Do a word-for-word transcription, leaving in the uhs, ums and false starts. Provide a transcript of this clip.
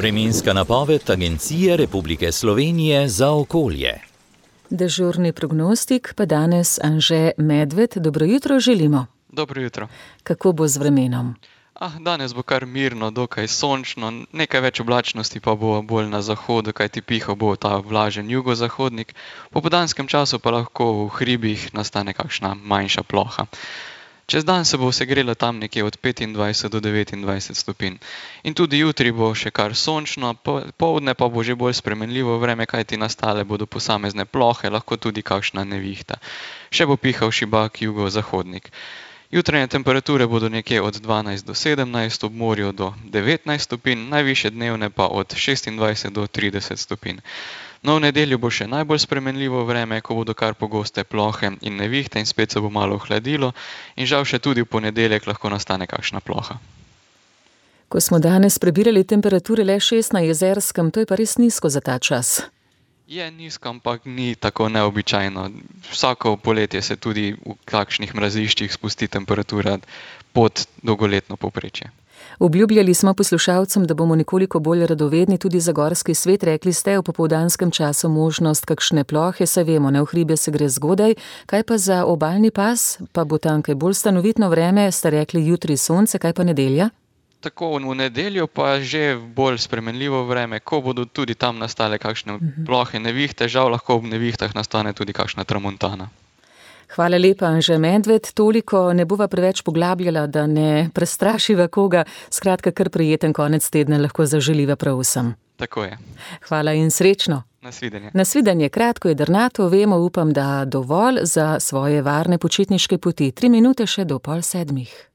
Vremenska napoved Agencije Republike Slovenije za okolje. Dežurni prognostik pa danes Anže Medved. Dobro jutro želimo. Dobro jutro. Kako bo z vremenom? Ah, danes bo kar mirno, dokaj sončno, nekaj več oblačnosti pa bo bolj na zahodu, kajti pihal bo ta vlažen jugozahodnik. V popoldanskem času pa lahko v hribih nastane kakšna manjša ploha. Čez dan se bo segrelo tam nekje od petindvajset do devetindvajset stopinj. In tudi jutri bo še kar sončno, poldne pa bo že bolj spremenljivo vreme, kajti nastale bodo posamezne plohe, lahko tudi kakšna nevihta. Še bo pihal šibak jugozahodnik. Jutranje temperature bodo nekje od dvanajst do sedemnajst, ob morju do devetnajst stopinj, najvišje dnevne pa od šestindvajset do trideset stopinj. No, v nedeljo bo še najbolj spremenljivo vreme, ko bodo kar pogoste plohe in nevihte in spet se bo malo ohladilo in žal še tudi v ponedeljek lahko nastane kakšna ploha. Ko smo danes prebirali temperature le šest na Jezerskem, to je pa res nizko za ta čas. Je nizko, ampak ni tako neobičajno. Vsako poletje se tudi v kakšnih mraziščih spusti temperatura pod dolgoletno povprečje. Obljubljali smo poslušalcem, da bomo nekoliko bolj radovedni tudi za gorski svet. Rekli ste, v popoldanskem času možnost kakšne plohe, saj vemo, na v hribe se gre zgodaj. Kaj pa za obalni pas? Pa bo tam kaj bolj stanovitno vreme, ste rekli jutri sonce, kaj pa nedelja? Tako, v nedeljo pa že bolj spremenljivo vreme, ko bodo tudi tam nastale kakšne plohe, nevihte, žal lahko ob nevihtah nastane tudi kakšna tramontana. Hvala lepa, Anže Medved. Toliko ne bova preveč poglabljala, da ne prestrašiva koga. Skratka, kar prijeten konec tedna lahko zaželiva prav vsem. Tako je. Hvala in srečno. Nasvidenje. Nasvidenje, kratko je drnato, vemo, upam, da dovolj za svoje varne počitniške poti. Tri minute še do pol sedmih.